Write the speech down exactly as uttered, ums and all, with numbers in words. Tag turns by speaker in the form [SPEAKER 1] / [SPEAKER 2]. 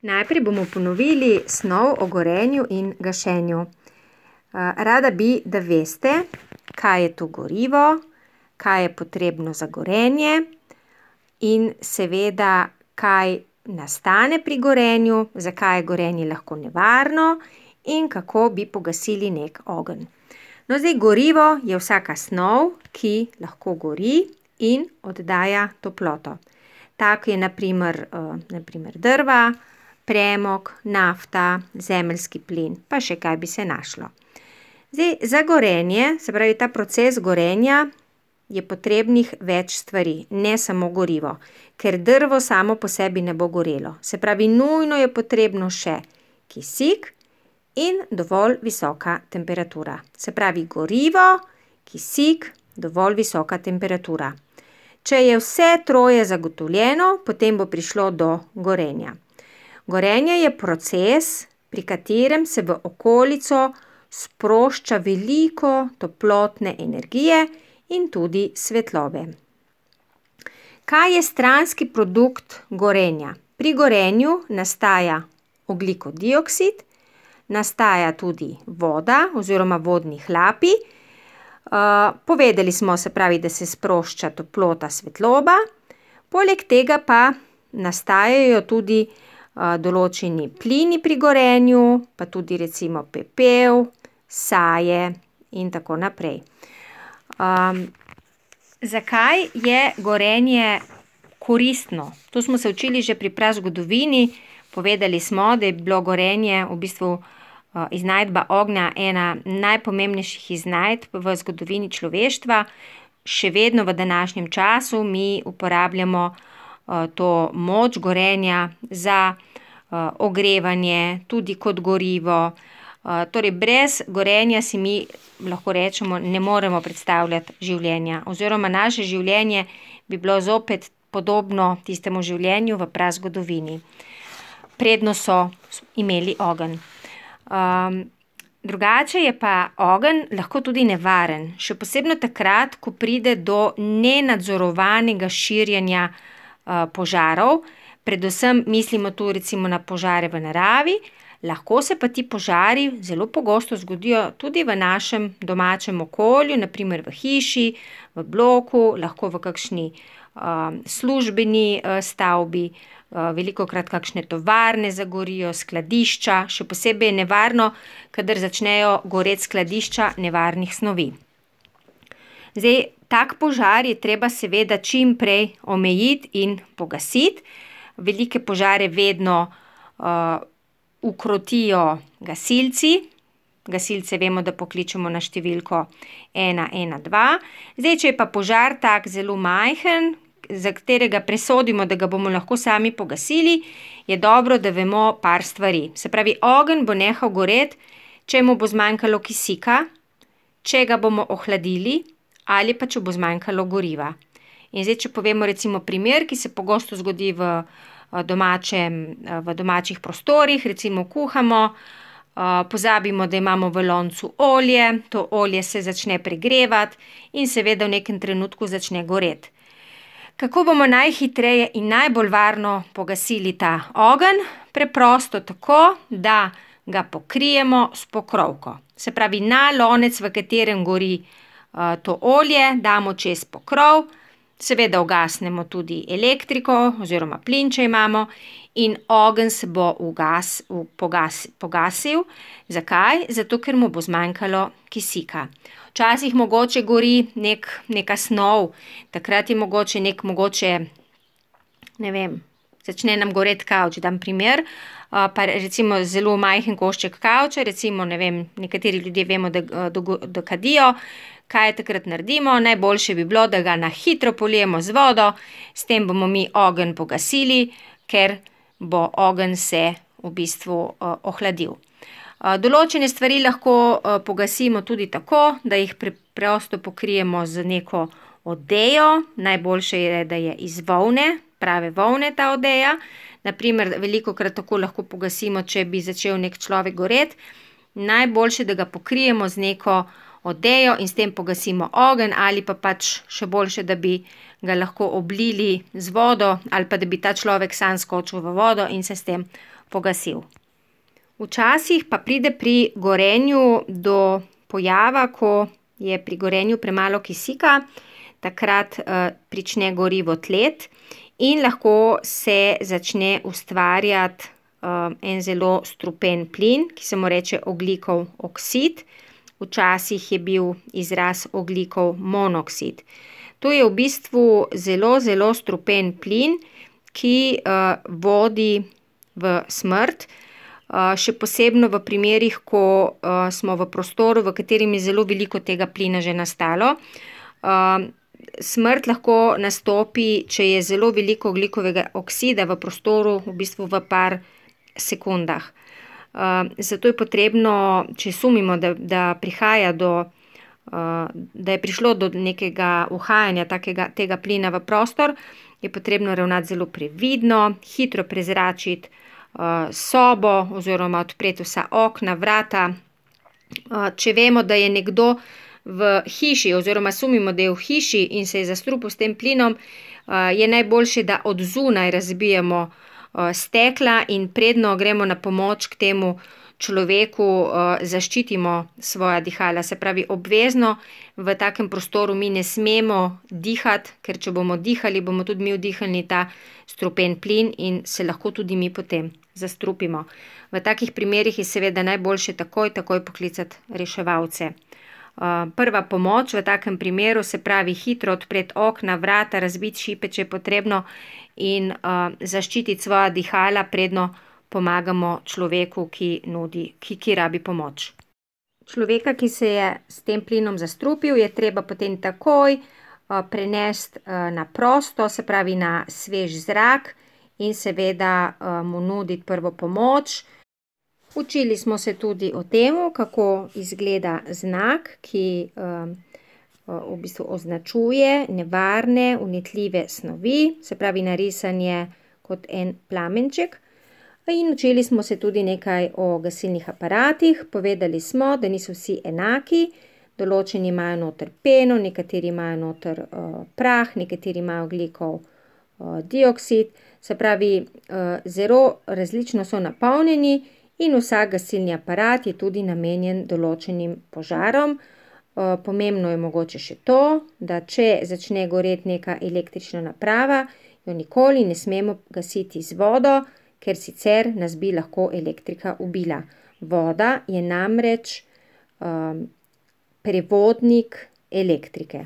[SPEAKER 1] Najprej bomo ponovili snov o gorenju in gašenju. Rada bi, da veste, kaj je to gorivo, kaj je potrebno za gorenje in seveda, kaj nastane pri gorenju, zakaj je gorenje lahko nevarno in kako bi pogasili nek ogenj. No, zdaj gorivo je vsaka snov, ki lahko gori in oddaja toploto. Tako je na primer, na primer drva, premog, nafta, zemeljski plin, pa še kaj bi se našlo. Zdaj, za gorenje, se pravi ta proces gorenja, je potrebnih več stvari, ne samo gorivo, ker drvo samo po sebi ne bo gorelo. Se pravi, nujno je potrebno še kisik in dovolj visoka temperatura. Se pravi, gorivo, kisik, dovolj visoka temperatura. Če je vse troje zagotovljeno, potem bo prišlo do gorenja. Gorenje je proces, pri katerem se v okolico sprošča veliko toplotne energije in tudi svetlobe. Kaj je stranski produkt gorenja? Pri gorenju nastaja ogljikov dioksid, nastaja tudi voda oziroma vodni hlapi. Uh, povedali smo, se pravi, da se sprošča toplota, svetloba, poleg tega pa nastajajo tudi uh, določeni plini pri gorenju, pa tudi recimo pepel, saje in tako naprej. Um, zakaj je gorenje koristno? To smo se učili že pri prazgodovini, povedali smo, da je bilo gorenje v bistvu iznajdba ognja ena najpomembnejših iznajdb v zgodovini človeštva. Še vedno v današnjem času mi uporabljamo uh, to moč gorenja za uh, ogrevanje, tudi kot gorivo. Uh, torej brez gorenja si mi, lahko rečemo, ne moremo predstavljati življenja. Oziroma naše življenje bi bilo zopet podobno tistemu življenju v prazgodovini. Predno so imeli ogenj. Um, drugače je pa ogenj lahko tudi nevaren, še posebno takrat, ko pride do nenadzorovanega širjenja uh, požarov, predvsem mislimo tu recimo na požare v naravi, lahko se pa ti požari zelo pogosto zgodijo tudi v našem domačem okolju, na primer v hiši, v bloku, lahko v kakšni uh, službeni uh, stavbi. Velikokrat kakšne tovarne zagorijo, skladišča, še posebej je nevarno, kadar začnejo goreti skladišča nevarnih snovi. Zdaj, tak požar je treba seveda čim prej omejiti in pogasiti. Velike požare vedno uh, ukrotijo gasilci. Gasilce vemo, da pokličemo na številko ena ena dva. Zdaj, če je pa požar tak zelo majhen, za katerega presodimo, da ga bomo lahko sami pogasili, je dobro, da vemo par stvari. Se pravi, ogenj bo nehal goreti, če mu bo zmanjkalo kisika, če ga bomo ohladili ali pa če bo zmanjkalo goriva. In zdaj, če povemo recimo primer, ki se pogosto zgodi v, domačem, v domačih prostorih, recimo kuhamo, pozabimo, da imamo v loncu olje, to olje se začne pregrevati in seveda v nekem trenutku začne goreti. Kako bomo najhitreje in najbolj varno pogasili ta ogenj? Preprosto tako, da ga pokrijemo s pokrovko. Se pravi, na lonec, v katerem gori uh, to olje, damo čez pokrov, seveda ugasnemo tudi elektriko oziroma plin, če imamo, in ogenj se bo ugas, pogas, pogasil. Zakaj? Zato, ker mu bo zmanjkalo kisika. Včasih mogoče gori nek, neka snov, takrat je mogoče nek mogoče, ne vem, začne nam goreti kavč, dam primer, pa recimo zelo majhen košček kavča, recimo, ne vem, nekateri ljudje vemo, da, da, da kadijo, kaj takrat naredimo, najboljše bi bilo, da ga na hitro polijemo z vodo, s tem bomo mi ogenj pogasili, ker bo ogenj se v bistvu uh, ohladil. Določene stvari lahko pogasimo tudi tako, da jih preprosto pokrijemo z neko odejo. Najboljše je, da je iz volne, prave volne ta odeja. Naprimer, velikokrat tako lahko pogasimo, če bi začel nek človek goreti. Najboljše, da ga pokrijemo z neko odejo in s tem pogasimo ogenj, ali pa pač še boljše, da bi ga lahko oblili z vodo ali pa da bi ta človek sam skočil v vodo in se s tem pogasil. Včasih pa pride pri gorenju do pojava, ko je pri gorenju premalo kisika, takrat uh, prične gorivo tleti in lahko se začne ustvarjati uh, en zelo strupen plin, ki se mu reče ogljikov oksid. Včasih je bil izraz ogljikov monoksid. To je v bistvu zelo, zelo strupen plin, ki uh, vodi v smrt. Uh, še posebno v primerih, ko uh, smo v prostoru, v katerem je zelo veliko tega plina že nastalo. Uh, smrt lahko nastopi, če je zelo veliko ogljikovega oksida v prostoru, v bistvu v par sekundah. Uh, zato je potrebno, če sumimo, da, da prihaja do, uh, da je prišlo do nekega uhajanja takega, tega plina v prostor, je potrebno ravnati zelo previdno, hitro prezračiti sobo oziroma odpreti vsa okna, vrata. Če vemo, da je nekdo v hiši oziroma sumimo, da je v hiši in se je zastrupil s tem plinom, je najboljše, da od zunaj razbijemo stekla in predno gremo na pomoč k temu človeku, zaščitimo svoja dihala. Se pravi, obvezno v takem prostoru mi ne smemo dihati, ker če bomo dihali, bomo tudi mi vdihnili ta strupen plin in se lahko tudi mi potem zastrupimo. V takih primerih je seveda najboljše takoj, takoj poklicati reševalce. Prva pomoč v takem primeru, se pravi hitro odpreti okna, vrata, razbiti šipe, če je potrebno in zaščititi svoja dihala, predno pomagamo človeku, ki nudi, ki, ki rabi pomoč. Človeka, ki se je s tem plinom zastrupil, je treba potem takoj prenesti na prosto, se pravi na svež zrak in seveda mu nuditi prvo pomoč. Učili smo se tudi o tem, kako izgleda znak, ki v bistvu označuje nevarne, vnetljive snovi, se pravi narisan je kot en plamenček. In učili smo se tudi nekaj o gasilnih aparatih, povedali smo, da niso vsi enaki, določeni imajo noter peno, nekateri imajo noter uh, prah, nekateri imajo ogljikov uh, dioksid, se pravi, uh, zelo različno so napolnjeni in vsak gasilni aparat je tudi namenjen določenim požarom. Uh, pomembno je mogoče še to, da če začne goreti neka električna naprava, jo nikoli ne smemo gasiti z vodo, ker sicer nas bi lahko elektrika ubila. Voda je namreč um, prevodnik elektrike.